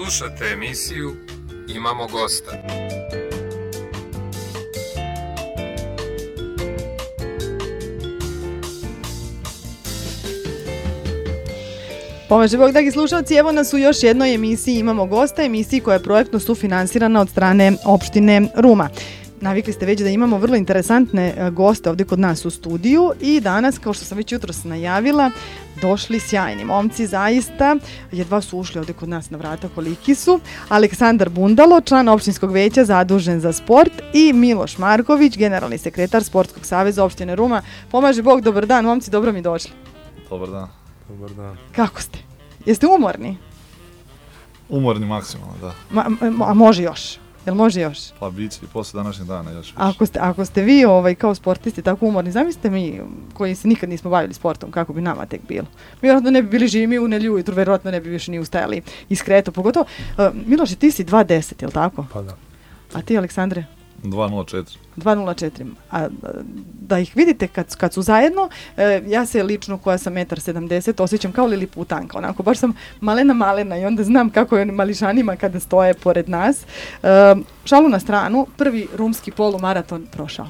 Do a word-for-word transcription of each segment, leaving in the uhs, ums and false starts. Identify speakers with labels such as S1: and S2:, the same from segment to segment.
S1: Slušate emisiju Imamo gosta.
S2: Pomaže Bog, dragi slušalci, evo nas u još jednoj emisiji Imamo gosta, emisiji koja je projektno sufinansirana od strane opštine Ruma. Navikli ste već da imamo vrlo interesantne goste ovdje kod nas u studiju i danas, kao što sam već jutros najavila, došli sjajni momci, zaista. Jedva su ušli ovdje kod nas na vrata, koliki su. Aleksandar Bundalo, član opštinskog veća zadužen za sport, i Miloš Marković, generalni sekretar Sportskog saveza opštine Ruma. Pomaže Bog, dobar dan, momci, dobro mi došli.
S3: Dobar dan.
S4: Dobar dan.
S2: Kako ste? Jeste umorni?
S3: Umorni maksimalno, da.
S2: Ma, a može još? Jel može još?
S3: Pa bit će i posle današnjeg dana još više.
S2: Ako ste, ako ste vi ovaj, kao sportisti tako umorni, zamislite mi koji se nikad nismo bavili sportom, kako bi nama tek bilo. Mi vjerojatno ne bi bili živi, mi u nelju ujutru, vjerojatno ne bi više ni ustajali iskreto. Pogotovo, uh, Miloš, ti si dva deset, je li tako?
S4: Pa da.
S2: A ti, Aleksandre?
S3: dva nula četiri.
S2: dva nula četiri. A da ih vidite kad, kad su zajedno, e, ja se lično koja sam jedan sedamdeset osjećam kao liliputanka, onako, baš sam malena malena i onda znam kako je onim mališanima kada stoje pored nas. E, šalu na stranu, prvi rumski polumaraton prošao.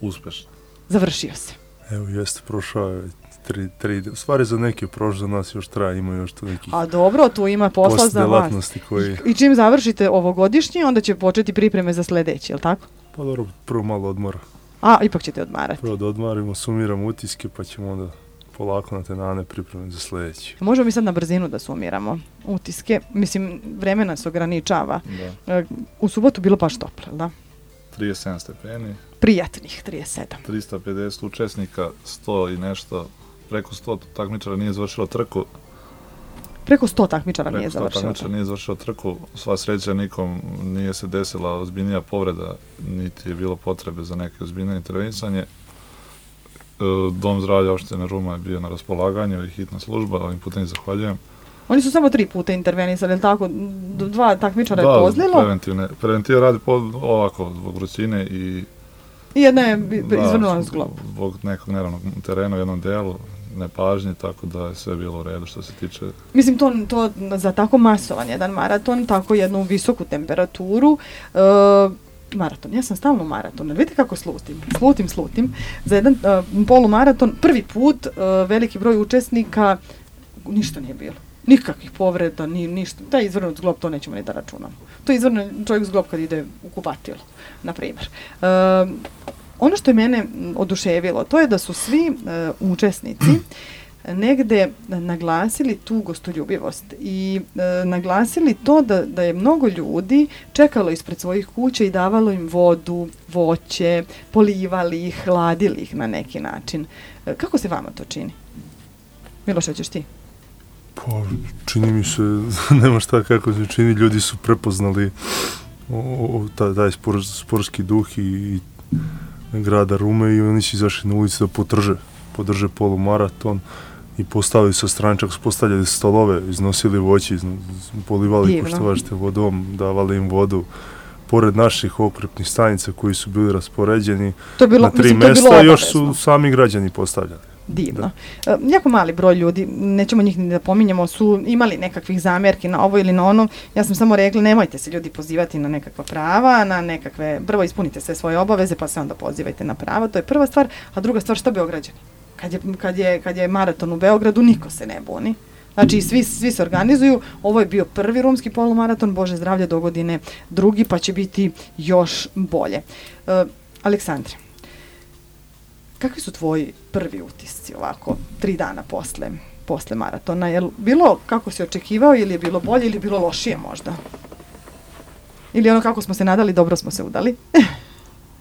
S3: Uspešno.
S2: Završio se.
S4: Evo, jeste, prošao je tri, tri, u stvari za neke prošlo, za nas još traje, ima još tu nekih...
S2: A dobro, tu ima posla za vas.
S4: Koji...
S2: I, I čim završite ovogodišnji, onda će početi pripreme za sljedeći, je li tako?
S4: Pa dobro, prvo malo odmora.
S2: A, ipak ćete odmarati.
S4: Prvo da odmarimo, sumiramo utiske, pa ćemo onda polako na te dane pripreme za sljedeći.
S2: Možemo mi sad na brzinu da sumiramo utiske. Mislim, vreme nas ograničava. Da. U subotu bilo baš toplo, da?
S3: trideset sedam stepeni.
S2: Prijatnih trideset sedam.
S3: trista pedeset učesnika, sto i nešto, preko sto takmičara nije završilo trku.
S2: Preko sto takmičara
S3: preko
S2: nije završilo.
S3: Preko sto takmičara nije završilo trku. Sva sreća, nikom nije se desila ozbiljnija povreda, niti je bilo potrebe za neke ozbiljne intervenisanje. Dom zdravlja opštine Ruma je bio na raspolaganju i hitna služba, ovim putem zahvaljujem.
S2: Oni su samo tri puta intervenisali, tako? Dva takmičara
S3: da,
S2: je pozlilo?
S3: Da, preventivne. Preventiva radi po, ovako, zbog vrućine i...
S2: I jedna je izvrnula zglob.
S3: Zbog nekog neravnog terena u jednom delu, nepažnje, tako da je sve bilo u redu što se tiče...
S2: Mislim, to, to za tako masovan jedan maraton, tako jednu visoku temperaturu, e, maraton, ja sam stalno maraton, vidite kako slutim, slutim, slutim, za jedan uh, polumaraton, prvi put, uh, veliki broj učesnika, ništa nije bilo. Nikakvih povreda, ni ništa. Da je izvrnut zglob, to nećemo ni da računamo. To je izvrnut čovjek zglob kad ide u kupatilo, na primjer. Uh, ono što je mene oduševilo, to je da su svi uh, učesnici negde naglasili tu gostoljubivost i e, naglasili to da, da je mnogo ljudi čekalo ispred svojih kuća i davalo im vodu, voće, polivali ih, hladili ih na neki način. E, kako se vama to čini? Miloš, hoćeš ti?
S4: Pa, čini mi se, nema šta kako se čini, ljudi su prepoznali o, o, taj, taj spor, sportski duh i, i grada Rume i oni su izašli na ulici da podrže, podrže polumaraton. I postavili sa strančak, postavljali stolove, iznosili voće, izno, polivali ko što važete vodom, davali im vodu. Pored naših okrepnih stanica koji su bili raspoređeni to bilo, na tri mislim, mjesta, još su sami građani postavljali.
S2: Divno. E, jako mali broj ljudi, nećemo njih ni da pominjamo, su imali nekakvih zamjerki na ovo ili na ono. Ja sam samo rekla, nemojte se ljudi pozivati na nekakva prava, na nekakve, prvo ispunite sve svoje obaveze, pa se onda pozivajte na prava, to je prva stvar, a druga stvar, šta Beograđani? Kad je, kad, je, kad je maraton u Beogradu, niko se ne buni. Znači, svi, svi se organizuju. Ovo je bio prvi rumski polumaraton, Bože zdravlja, do godine drugi, pa će biti još bolje. Uh, Aleksandre, kakvi su tvoji prvi utisci ovako, tri dana posle, posle maratona? Je li bilo kako si očekivao ili je bilo bolje ili je bilo lošije možda? Ili ono kako smo se nadali, dobro smo se udali?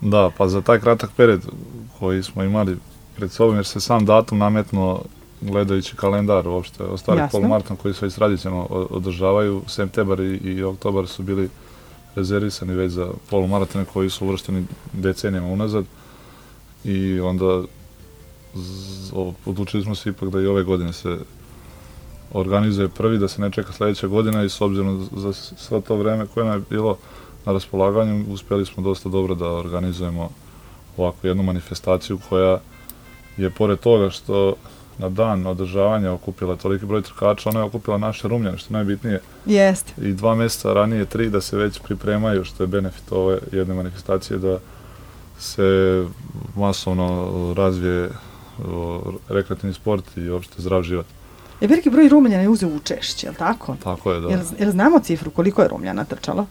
S3: Da, pa za taj kratak period koji smo imali pred sobom, jer se sam datum nametno gledajući kalendar uopšte, ostali polumaraton koji se već tradicionalno održavaju, septembar i, i oktobar su bili rezervisani već za polumaratone koji su uvršteni decenijama unazad i onda z, o, odlučili smo se ipak da i ove godine se organizuje prvi, da se ne čeka sljedeća godina i s obzirom za sve to vreme koje nam je bilo na raspolaganju, uspjeli smo dosta dobro da organizujemo ovakvu jednu manifestaciju koja je pored toga što na dan održavanja okupila toliki broj trkača, ona je okupila naše Rumljane, što je najbitnije.
S2: Jeste.
S3: I dva mjeseca ranije, tri, da se već pripremaju, što je benefit ove jedne manifestacije, da se masovno razvije o, rekreativni sport i uopšte zdrav život.
S2: Je veliki broj Rumljana je uzeo učešće, je li tako?
S3: Tako je, da.
S2: Jel, jel znamo cifru koliko je Rumljana trčalo?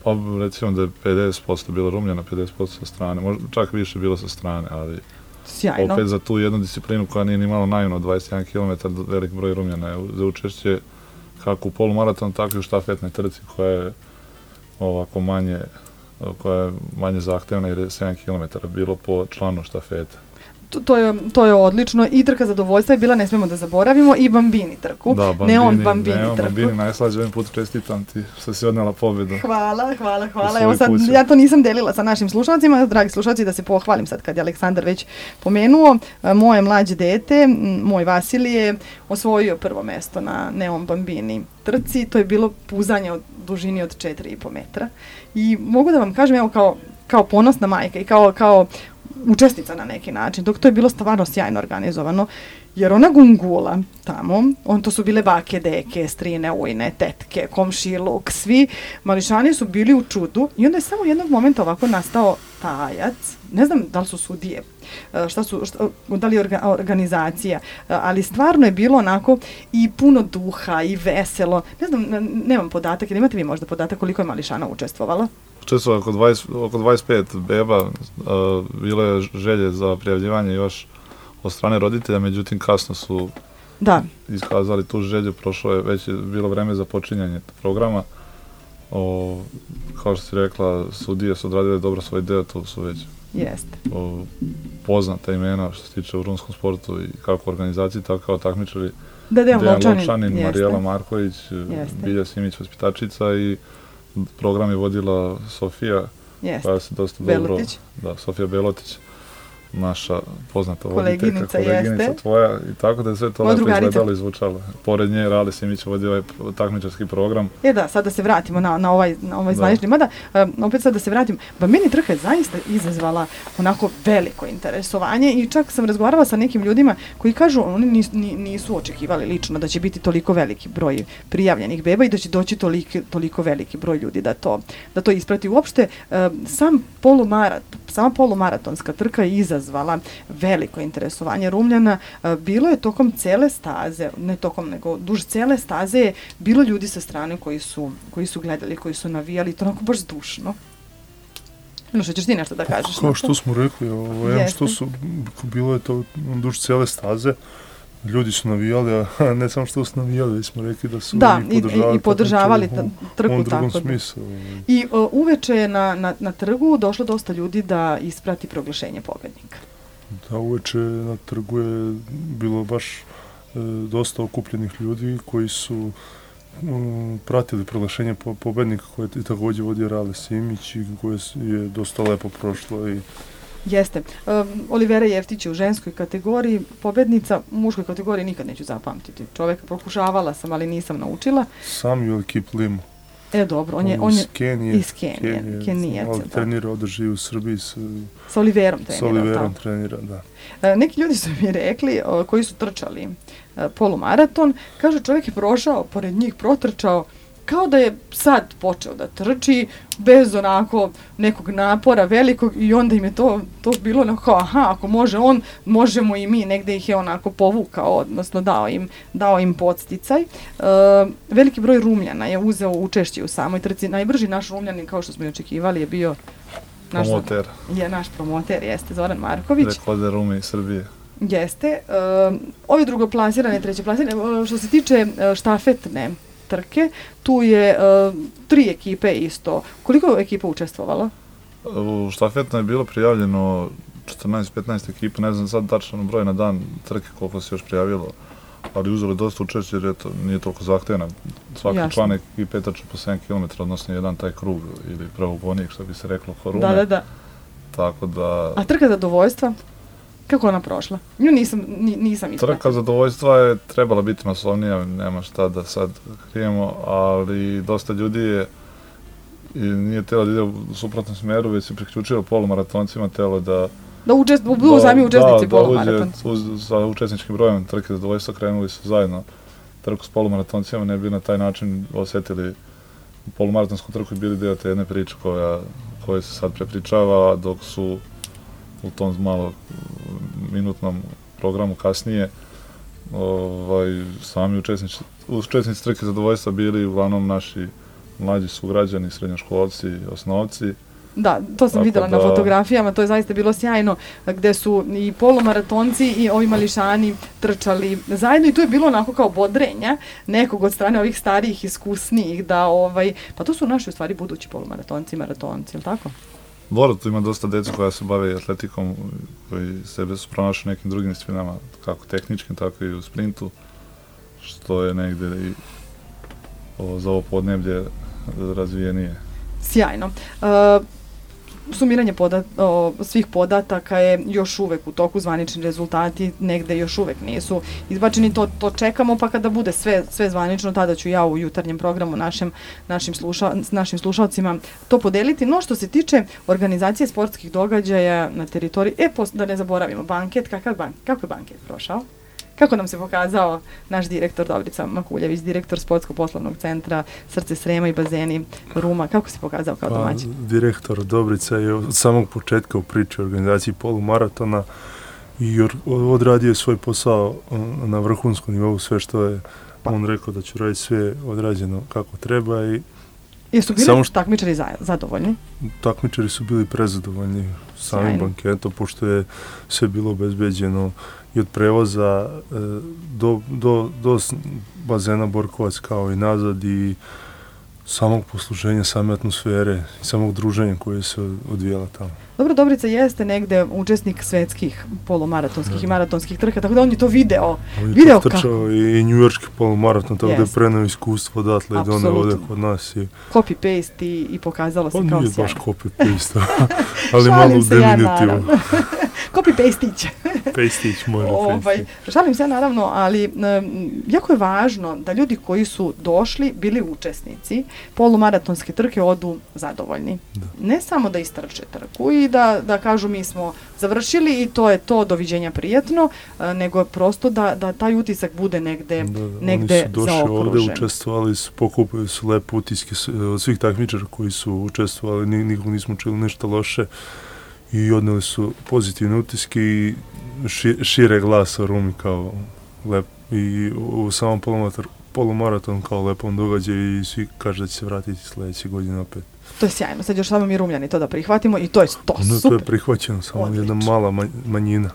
S3: Pa recimo da je pedeset posto bilo Rumljana, pedeset posto sa strane, možda čak više bilo sa strane, ali
S2: sjajno.
S3: Opet za tu jednu disciplinu koja nije ni malo naivno, dvadeset jedan kilometar, velik broj Rumljana je za učešće kako u polumaraton, tako i u štafetnoj trci koja je ovako manje, koja je manje zahtevna jer je sedam kilometara bilo po članu štafete.
S2: To, to, je, to je odlično i trka zadovoljstva je bila, ne smijemo da zaboravimo, i Bambini trku.
S3: Da, Bambini,
S2: ne on Bambini
S3: ne on
S2: trku.
S3: Bambini, najslađe ovim put čestitam ti što si odnela pobjedu.
S2: Hvala, hvala, hvala. Evo sad, ja to nisam delila sa našim slušalcima, dragi slušalci, da se pohvalim sad kad je Aleksandar već pomenuo. Moje mlađe dete, moj Vasilije, osvojio prvo mesto na Neon Bambini trci. To je bilo puzanje od dužini od četiri i po metra. I mogu da vam kažem, evo kao, kao ponosna majka i kao, kao učesnica na neki način, dok to je bilo stvarno sjajno organizovano, jer ona gungula tamo, on to su bile bake, deke, strine, ujne, tetke, komšiluk, svi mališani su bili u čudu i onda je samo jednog momenta ovako nastao tajac, ne znam da li su sudije, šta su, šta, da li je orga, organizacija, ali stvarno je bilo onako i puno duha i veselo, ne znam, nemam podatak, ili imate vi možda podatak koliko je mališana učestvovala?
S3: Učestvovalo oko, dvadeset, oko dvadeset pet beba, uh, bilo je želje za prijavljivanje još od strane roditelja, međutim kasno su
S2: da.
S3: iskazali tu želju, prošlo je već je bilo vreme za počinjanje programa. O, kao što si rekla, sudije su odradile dobro svoj deo, to su već
S2: Jeste.
S3: O, poznata imena što se tiče u rumskom sportu i kako organizaciji, tako kao takmičari.
S2: Da, Dejan Lovčanin,
S3: Lovčanin Marijela Marković,
S2: jeste.
S3: Bilja Simić, vaspitačica, i program je vodila Sofija,
S2: jeste.
S3: koja se dosta
S2: Belotić.
S3: dobro, da, Sofija Belotić, naša poznata
S2: koleginica,
S3: voditeljka, koleginica
S2: jeste.
S3: tvoja, i tako da je sve to
S2: Moja
S3: lepo
S2: drugarica.
S3: izgledalo i zvučalo. Pored nje Rale Simić vodio ovaj takmičarski program.
S2: E da, sad da se vratimo na, na ovaj, na ovaj zvanični, mada, um, opet sad da se vratim, Bambini trka je zaista izazvala onako veliko interesovanje i čak sam razgovarala sa nekim ljudima koji kažu, oni nis, nisu očekivali lično da će biti toliko veliki broj prijavljenih beba i da će doći toliko, toliko veliki broj ljudi da to, da to isprati. Uopšte, um, sam polumarat, sama polumaratonska trka je izazvala veliko interesovanje Rumljana. Bilo je tokom cele staze, ne tokom, nego duž cele staze je bilo ljudi sa strane koji su, koji su gledali, koji su navijali, to onako baš zdušno. No što ćeš ti nešto da kažeš?
S4: Kao što smo rekli, ovo, što su, bilo je to duž cele staze, ljudi su navijali, a ne samo što su navijali, smo rekli da su
S2: da,
S4: i podržavali,
S2: i, i podržavali
S4: ta,
S2: trku.
S4: On
S2: tako
S4: smislu.
S2: I uh, uveče je na, na, na trgu došlo dosta ljudi da isprati proglašenje pobednika.
S4: Da, uveče na trgu je bilo baš e, dosta okupljenih ljudi koji su um, pratili proglašenje po, pobednika koje je također vodio Rale Simić i koje je dosta lepo prošlo. I
S2: Jeste. Um, Olivera Jeftić je u ženskoj kategoriji pobednica, u muškoj kategoriji nikad neću zapamtiti. Čovjeka pokušavala sam, ali nisam naučila.
S4: Samuel Kiplimo.
S2: E, dobro, on je, on je
S4: iz Kenije,
S2: iz Kenije,
S4: Kenije,
S2: Kenijac,
S4: ali
S2: da.
S4: trenira, ovdje živi u Srbiji s,
S2: sa Oliverom trenira.
S4: S Oliverom trenira, da.
S2: E, neki ljudi su mi rekli, o, koji su trčali e, polumaraton, kažu čovjek je prošao, pored njih protrčao, kao da je sad počeo da trči, bez onako nekog napora velikog, i onda im je to, to bilo onako, aha, ako može on, možemo i mi, negde ih je onako povukao, odnosno dao im, dao im podsticaj. E, veliki broj Rumljana je uzeo učešće u samoj trci, najbrži naš Rumljanin, kao što smo i očekivali, je bio naš
S3: promoter.
S2: Je naš promoter, jeste, Zoran Marković.
S3: Rekorde Rume iz Srbije.
S2: Jeste. E, ovi drugoplasirane, trećeplasirane, što se tiče štafetne trke, tu je uh, tri ekipe isto. Koliko je ekipa učestvovalo?
S3: U štafetno je bilo prijavljeno četrnaest petnaest ekipa, ne znam sad tačan broj na dan trke koliko se još prijavilo, ali uzeli dosta učešće jer je to, nije toliko zahtevna. Svaki Jasne. član ekipe trče po sedam kilometara, odnosno jedan taj krug ili pravogonik, što bi se reklo, Horume.
S2: Da, da, da.
S3: Tako da...
S2: A trka zadovoljstva? Kako ona prošla? Nju nisam, nisam ispratila.
S3: Trka zadovoljstva je trebala biti masovnija, nema šta da sad krijemo, ali dosta ljudi je i nije telo da ide u suprotnom smjeru, već se priključilo polumaratoncima, telo da
S2: Da učest, budu sami učesnici polumaraton.
S3: Da, da sa učesničkim brojem trke zadovoljstva krenuli su zajedno trku s polumaratoncima, ne bi na taj način osjetili polumaratonsku trku i bili dio te jedne priče koja, koja se sad prepričava, dok su u tom malo minutnom programu kasnije ovaj, sami učesnici, učesnici trke zadovoljstva bili uglavnom naši mlađi sugrađani, srednjoškolci, osnovci.
S2: Da, to sam vidjela na fotografijama, to je zaista bilo sjajno, gdje su i polumaratonci i ovi mališani trčali zajedno i tu je bilo onako kao bodrenja nekog od strane ovih starijih, iskusnijih, da ovaj, pa to su naši u stvari budući polumaratonci i maratonci, je li tako?
S3: Dobro, tu ima dosta djeca koja se bave atletikom, koji sebe su pronašli nekim drugim disciplinama, kako tehničkim, tako i u sprintu, što je negdje i o, za ovo podneblje razvijenije.
S2: Sjajno. Uh, Sumiranje podat, o, svih podataka je još uvek u toku, zvanični rezultati negde još uvek nisu izbačeni, to, to čekamo, pa kada bude sve, sve zvanično, tada ću ja u jutarnjem programu našem, našim, sluša, našim slušalcima to podeliti. No što se tiče organizacije sportskih događaja na teritoriji, e, pos, da ne zaboravimo, banket, kakav ban, kako je banket prošao? Kako nam se pokazao naš direktor Dobrica Makuljević, direktor Sportsko-poslovnog centra Srce Srema i bazeni Ruma, kako se pokazao kao domaćin?
S4: Pa, direktor Dobrica je od samog početka u priči o organizaciji polumaratona i odradio je svoj posao na vrhunskom nivou, sve što je pa. on rekao da će raditi sve odrađeno kako treba. I
S2: jesu bili samo što, takmičari za, zadovoljni?
S4: Takmičari su bili prezadovoljni samim banketom, pošto je sve bilo obezbeđeno i od prevoza e, do, do, do bazena Borkovac kao i nazad i samog posluženja, same atmosfere i samog druženja koje se odvijela tamo.
S2: Dobro, Dobrica jeste negde učesnik svetskih polumaratonskih i maratonskih trka, tako da on je to video.
S4: On je
S2: video
S4: to trčao i njujorški polumaraton, tako yes. da je preneo iskustvo odatle i doneo ovdje kod nas. I
S2: copy-paste i, i pokazalo se
S4: on
S2: kao sjajno.
S4: On nije baš copy-paste, ali malo u diminutivu.
S2: Ja, copy-pastić.
S4: Pastić može
S2: ovaj, šalim se naravno, ali um, jako je važno da ljudi koji su došli, bili učesnici polumaratonske trke odu zadovoljni. Da. Ne samo da istrče trku i da, da kažu mi smo završili i to je to, doviđenja prijatno, uh, nego prosto da, da taj utisak bude negde, da, da, negde zaokružen. Oni su došli ovdje,
S4: učestvovali su, pokupili su lepe utiske od svih takmičara koji su učestvovali, nikom nismo čuli ništa loše i odneli su pozitivne utiske i ši, šire glasa o Rumi kao lep i u samom polumaraton kao lepom događaju i svi kaže da će se vratiti sljedeće godine opet.
S2: To je sjajno, sad još samo mi Rumljani to da prihvatimo i to je to
S4: no,
S2: super.
S4: To je prihvaćeno, samo odlično. Jedna mala manjina.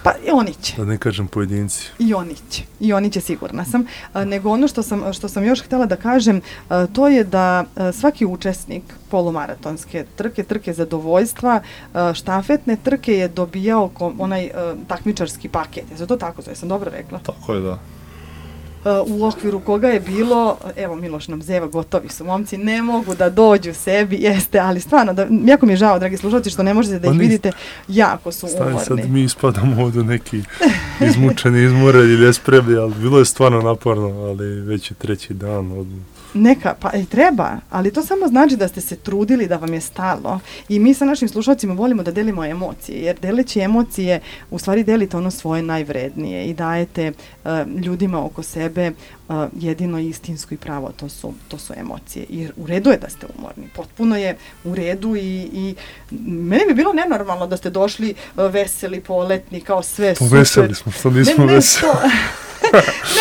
S2: Pa i oni će.
S4: Da ne kažem pojedinci.
S2: I oni će. I oni će, sigurna sam. A, nego ono što sam, što sam još htjela da kažem, a, to je da a, svaki učesnik polumaratonske trke, trke zadovoljstva, a, štafetne trke je dobijao kom, onaj a, takmičarski paket. Je to tako? Sam dobro rekla?
S3: Tako je, da.
S2: U okviru koga je bilo, evo Miloš nam zeva, gotovi su momci, ne mogu da dođu sebi, jeste, ali stvarno, da, jako mi je žao, dragi slušalci, što ne možete da ih vidite, jako su umorni.
S4: Sad mi ispadamo ovdje neki izmučeni, izmoreni ili espremni, ali bilo je stvarno naporno, ali već je treći dan od...
S2: Neka, pa i treba, ali to samo znači da ste se trudili, da vam je stalo i mi sa našim slušalcima volimo da delimo emocije, jer deleći emocije u stvari delite ono svoje najvrednije i dajete uh, ljudima oko sebe uh, jedino istinsko i pravo, to su, to su emocije i u redu je da ste umorni, potpuno je u redu i, i meni bi bilo nenormalno da ste došli uh, veseli, poletni, kao sve super.
S4: Veseli smo, što nismo ne, ne, veseli.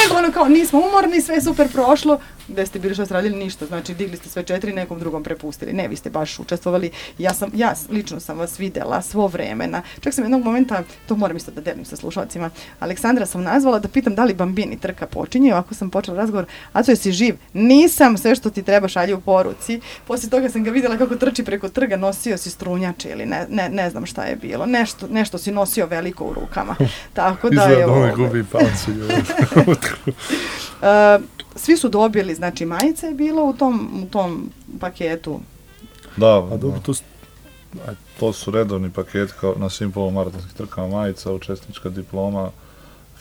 S2: Nego ono kao nismo umorni, sve super prošlo, gde ste bili što ste radili ništa, znači digli ste sve četiri, nekom drugom prepustili. Ne, vi ste baš učestvovali, ja sam, ja lično sam vas videla svo vremena. Čak sam jednog momenta, to moram isto da delim sa slušalcima, Aleksandra sam nazvala da pitam da li Bambini trka počinje, ovako sam počela razgovor, Aco, jesi živ? Nisam, sve što ti treba šalji u poruci. Poslije toga sam ga vidjela kako trči preko trga, nosio si strunjače ili ne, ne, ne znam šta je bilo, nešto, nešto si nosio veliko u rukama. Tako da je ovo...
S4: Izgleda gubi palci.
S2: uh, Svi su dobili, znači majica je bila u tom, u tom paketu.
S3: Da,
S4: a dobro, to,
S3: to su redovni paket kao na svim polumaratonskim trkama, majica, učesnička diploma,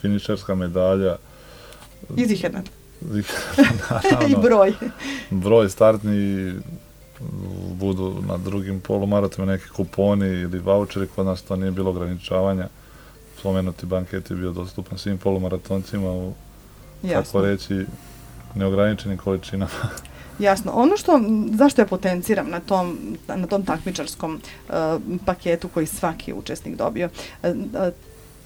S3: finišerska medalja.
S2: I ziherna.
S3: Ziherna,
S2: I broj.
S3: Broj startni, budu na drugim polumaratonima neki kuponi ili voucheri, kod nas to nije bilo ograničavanja. Spomenuti banket je bio dostupan svim polumaratoncima u, tako reći, neograničenim količinama.
S2: Jasno. Ono što, zašto ja potenciram na tom, na tom takmičarskom uh, paketu koji svaki učesnik dobio, uh, uh,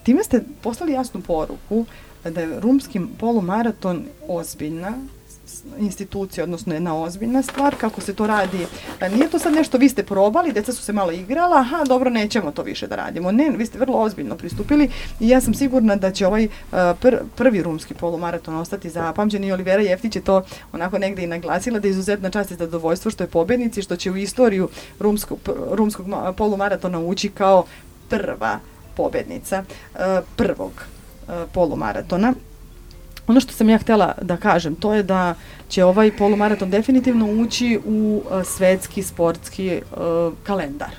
S2: time ste poslali jasnu poruku da je rumski polumaraton ozbiljna institucija, odnosno jedna ozbiljna stvar, kako se to radi. Nije to sad nešto, vi ste probali, djeca su se malo igrala, aha, dobro, nećemo to više da radimo. Ne, vi ste vrlo ozbiljno pristupili i ja sam sigurna da će ovaj pr prvi rumski polumaraton ostati zapamćen i Olivera Jeftić je to onako negdje i naglasila da je izuzetna čast i zadovoljstvo što je pobjednici, što će u istoriju rumskog, rumskog polumaratona ući kao prva pobjednica prvog polumaratona. Ono što sam ja htjela da kažem, to je da će ovaj polumaraton definitivno ući u uh, svetski sportski uh, kalendar.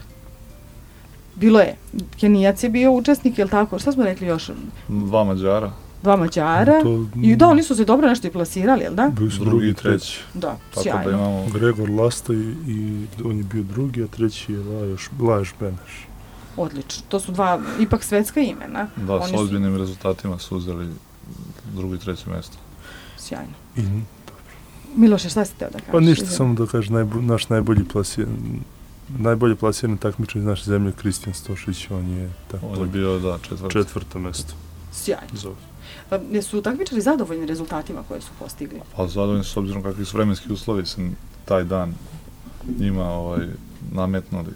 S2: Bilo je, Kenijac je bio učesnik, je li tako? Šta smo rekli još?
S3: Dva Mađara.
S2: Dva Mađara. To, I da, oni su se dobro nešto i plasirali, jel da?
S4: Bili su drugi i treći.
S2: Da,
S3: tako
S2: sjajno.
S3: Da imamo...
S4: Gregor Lasta i, i on je bio drugi, a treći je Lajoš, Lajoš Beneš.
S2: Odlično. To su dva ipak svetska imena.
S3: Da,
S2: oni
S3: s ozbiljnim su... rezultatima su uzeli drugo i treće mjesto.
S2: Sjajno.
S4: I, dobro.
S2: Miloše, šta si teo da kažeš?
S4: Pa ništa, samo da kažeš, najbo, naš najbolji plasiran, najbolje plasiran takmičar iz naše zemlje, Kristijan Stošić, on je tako.
S3: On je bio, da, četvrto.
S4: Četvrto mjesto.
S2: Sjajno. Zove. Pa, jesu takmičari zadovoljni rezultatima koje su postigli?
S3: Pa zadovoljni s obzirom kakvi su vremenski uslovi sam taj dan njima ovaj, nametnuli.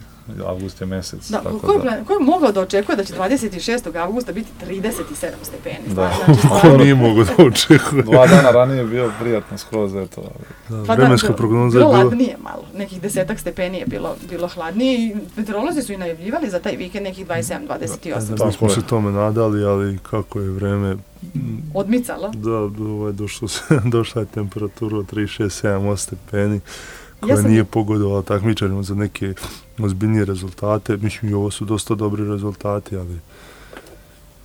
S3: Avgust je mjesec.
S2: Da,
S3: tako
S2: ko, je,
S3: da...
S2: ko je mogao da očekuje da će dvadeset šestog avgusta biti trideset sedam stepeni?
S3: Da,
S2: znači,
S4: on nije mogao da očekuje.
S3: Dva dana ranije je bio prijatno skroz, eto.
S4: Da, pa vremenska da, prognoza je bila...
S2: Bilo ladnije malo, nekih desetak stepeni je bilo, bilo hladnije i meteorolozi su i najavljivali za taj vikend nekih dvadeset sedam dvadeset osam.
S4: Da, da smo se tome nadali, ali kako je vreme...
S2: Odmicalo?
S4: Da, ovaj, došlo se, došla je temperatura od trideset šest sedam osam stepeni. koja ja sam... nije pogodovala takmičarima za neke ozbiljnije rezultate. Mislim, i ovo su dosta dobri rezultati, ali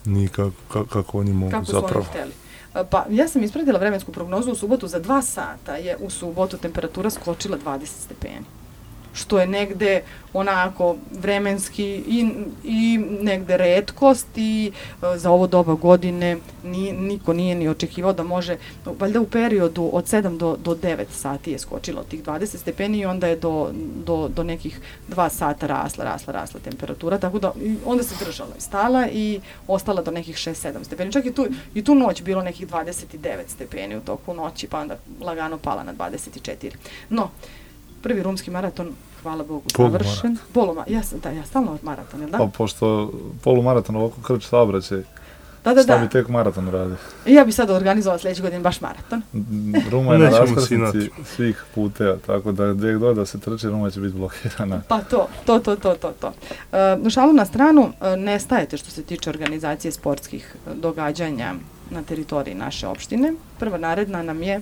S4: nije kako, kako, kako oni mogu
S2: kako
S4: zapravo.
S2: Kako su oni htjeli. Pa ja sam ispratila vremensku prognozu u subotu, za dva sata je u subotu temperatura skočila dvadeset stepeni. Što je negde onako vremenski i, i negde retkost i e, za ovo doba godine ni, niko nije ni očekivao da može, valjda u periodu od sedam do, do devet sati je skočilo tih dvadeset stepeni i onda je do, do, do nekih dva sata rasla, rasla, rasla temperatura, tako da onda se držala i stala i ostala do nekih šest sedam stepeni. Čak i tu, i tu noć bilo nekih dvadeset devet stepeni u toku noći, pa onda lagano pala na dvadeset četiri. No, prvi rumski maraton, hvala Bogu, završen. Polumaraton. Ja, da, ja stalno maraton, jel da?
S3: Pa pošto polumaraton ovako krč saobraćaj,
S2: da, da,
S3: šta
S2: da.
S3: bi tek maraton radi?
S2: Ja bi sad organizovala sljedeće godine baš maraton.
S3: Ruma je na raskrsnici svih puteva, tako da gdje god da se trči, Ruma će biti blokirana.
S2: Pa to, to, to, to, to. to. Uh, šalu na stranu, uh, ne stajete što se tiče organizacije sportskih događanja na teritoriji naše opštine. Prva naredna nam je...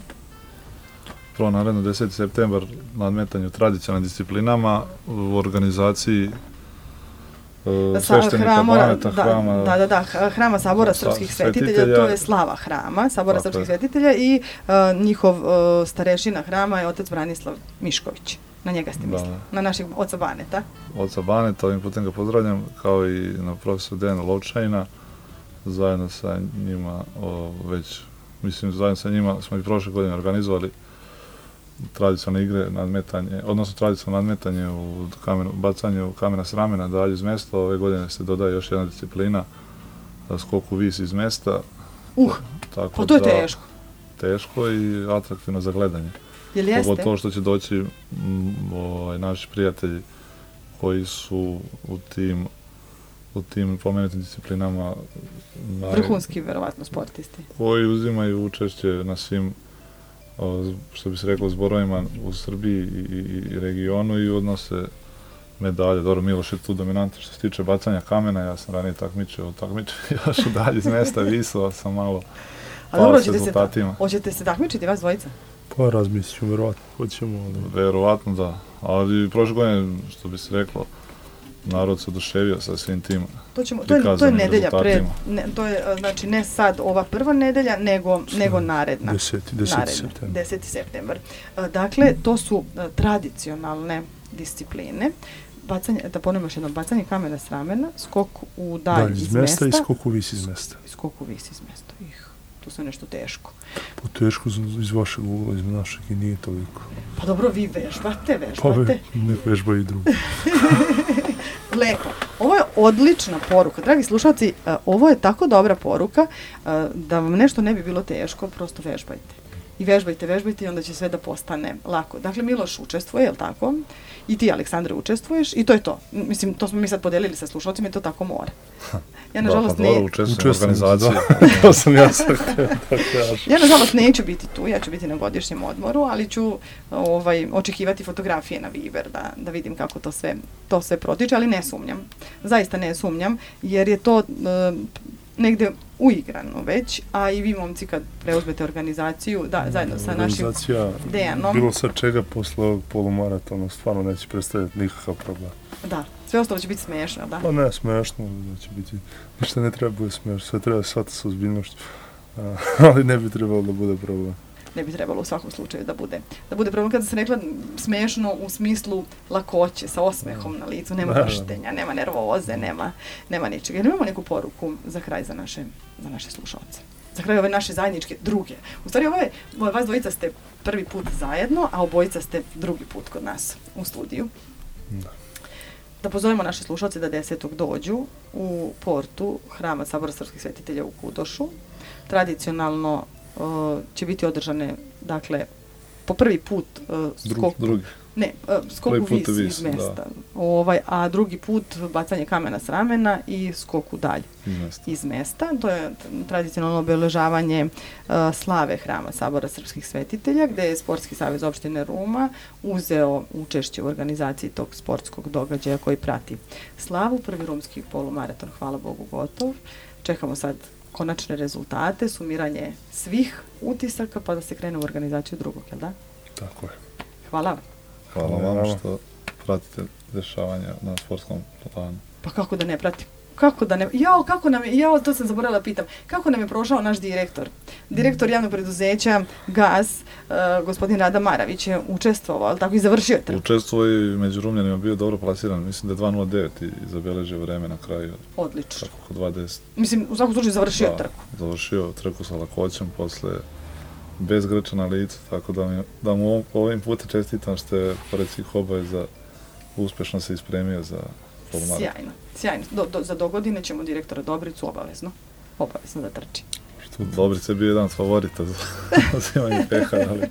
S3: Prvo naredno deseti septembar nadmetanje u tradicionalnim disciplinama u organizaciji uh, sveštenika Baneta,
S2: da,
S3: hrama,
S2: da, da, da, hrama Sabora
S3: sa,
S2: srpskih svetitelja, svetitelja, to je slava hrama Sabora srpskih svetitelja i uh, njihov uh, starešina hrama je otac Branislav Mišković. Na njega ste mislili, na našeg oca Baneta.
S3: Oca Baneta, ovim putem ga pozdravljam, kao i na profesor Dejana Lovčajina, zajedno sa njima, o, već, mislim, zajedno sa njima smo i prošle godine organizovali tradicionalne igre, nadmetanje, odnosno tradicionalno nadmetanje u kameru, bacanje u kamena s ramena, dalje iz mesta. Ove godine se dodaje još jedna disciplina, skok u vis iz mesta.
S2: Uh,
S3: tako
S2: pa to je
S3: da,
S2: teško.
S3: Teško i atraktivno za gledanje.
S2: Jel jeste?
S3: Pogotovo što će doći m, ovaj, naši prijatelji koji su u tim, u tim pomenutim disciplinama naj...
S2: vrhunski, verovatno, sportisti.
S3: Koji uzimaju učešće na svim, što bi se reklo, zborovima u Srbiji i, i, i regionu i odnose medalje. Dobro, Miloš je tu dominantan što se tiče bacanja kamena, ja sam ranije takmičio, takmičio još u dalje iz mesta, visao sam malo pao s rezultatima.
S2: Hoćete se takmičiti vas dvojica?
S4: Pa razmislit ću, verovatno, hoćemo. Ali...
S3: Verovatno da, ali prošle godine, što bi se reklo, narod se oduševio sa svim tim
S2: to ćemo, to je, to je
S3: prikazanim
S2: nedelja pred,
S3: rezultatima.
S2: ne, to je znači ne sad ova prva nedelja, nego, nego naredna.
S4: deseti septembar.
S2: deseti septembar. Dakle, to su tradicionalne discipline. Bacanje, da ponovimo još jedno, bacanje kamena s ramena, skok u dalj iz, iz mesta.
S4: I skok u vis iz mesta.
S2: I skok u vis iz mesta. Ih, to je nešto teško.
S4: Po teško iz vašeg ugla, iz našeg i nije toliko.
S2: Pa dobro, vi vežbate, vežbate.
S4: Pa ve, ne vežba i drugo.
S2: Lepo. Ovo je odlična poruka. Dragi slušalci, uh, ovo je tako dobra poruka uh, da vam nešto ne bi bilo teško, prosto vežbajte. I vežbajte, vežbajte i onda će sve da postane lako. Dakle, Miloš učestvuje, je li tako? I ti, Aleksandre, učestvuješ i to je to. Mislim, to smo mi sad podelili sa slušalcima i to tako mora. Ja, nažalost,
S3: da, pa
S2: ne...
S3: dobro, učestvujem u organizaciji.
S4: To sam ja sad htio da kažem.
S2: Ja, nažalost, neću biti tu, ja ću biti na godišnjem odmoru, ali ću ovaj, očekivati fotografije na Viber da, da vidim kako to sve, to sve protiče, ali ne sumnjam. Zaista ne sumnjam, jer je to... Uh, negde uigrano već, a i vi momci kad preuzmete organizaciju, da, zajedno sa našim Dejanom.
S4: Bilo sa čega posle ovog polumaratona, stvarno neće predstavljati nikakav problem.
S2: Da, sve ostalo će biti smiješno, da?
S4: Pa ne, smiješno, da će biti, ništa ne treba bude smiješno, sve treba shvatiti sa ozbiljnošću, ali ne bi trebalo da bude problem.
S2: Ne bi trebalo u svakom slučaju da bude. Da bude problem kada sam rekla smiješno u smislu lakoće, sa osmehom na licu, nema vrštenja, nema nervoze, nema, nema ničega. Jer imamo neku poruku za kraj za naše, za naše slušalce. Za kraj ove naše zajedničke druge. U stvari, ovo je, vas dvojica ste prvi put zajedno, a obojica ste drugi put kod nas u studiju.
S4: Da.
S2: Da pozovemo naše slušalce da desetog dođu u portu Hrama Sabora srpskih svetitelja u Kudošu. Tradicionalno Uh, će biti održane, dakle, po prvi put uh, skok,
S3: drugi.
S2: Ne, uh, skok u vis, vis iz mesta, ovaj, a drugi put bacanje kamena s ramena i skok u dalj
S3: iz mesta.
S2: iz mesta. To je tradicionalno obeležavanje uh, slave Hrama Sabora srpskih svetitelja, gde je Sportski savez opštine Ruma uzeo učešće u organizaciji tog sportskog događaja koji prati slavu. Prvi rumski polumaraton, hvala Bogu, gotov. Čekamo sad konačne rezultate, sumiranje svih utisaka, pa da se krene u organizaciju drugog, jel da?
S4: Tako je.
S2: Hvala.
S3: Hvala vam što pratite dešavanja na sportskom planu.
S2: Pa kako da ne pratim? Kako da ne... Jao, kako nam je... Jao, to sam zaboravila pitam. Kako nam je prošao naš direktor? Direktor javnog preduzeća Gaz, uh, gospodin Rada Maravić je učestvovao, ali tako i završio trku.
S3: Učestvovao i među Rumljanima bio dobro plasiran. Mislim da je dva nula devet i zabeležio vreme na kraju.
S2: Odlično.
S3: Tako dva deset.
S2: Mislim, u svakom slučaju završio
S3: da,
S2: trku.
S3: Završio trku sa lakoćem posle bez grča na licu, tako da, mi, da mu ovim putem čestitam što je pored svih obaveza uspešno se ispremio za polumaraton.
S2: Sjajno, sjajno. Do, do, za dogodine ćemo direktora Dobricu obavezno, obavezno da trči.
S3: Dobrica je bio jedan od favorita za uzimanje peha, ali...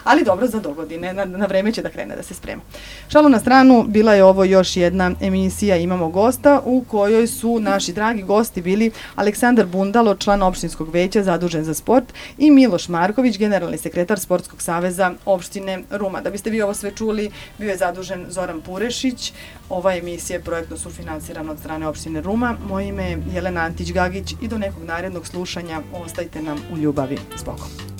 S2: ali dobro, za dogodine, na, na vreme će da krene da se sprema. Šalu na stranu, bila je ovo još jedna emisija Imamo gosta, u kojoj su naši dragi gosti bili Aleksandar Bundalo, član opštinskog veća zadužen za sport, i Miloš Marković, generalni sekretar Sportskog saveza opštine Ruma. Da biste vi ovo sve čuli, bio je zadužen Zoran Purešić. Ova emisija je projektno sufinansirana od strane opštine Ruma. Moje ime je Jelena Antić-Gagić i do nekog narednog slušanja ostajte nam u ljubavi s Bogom.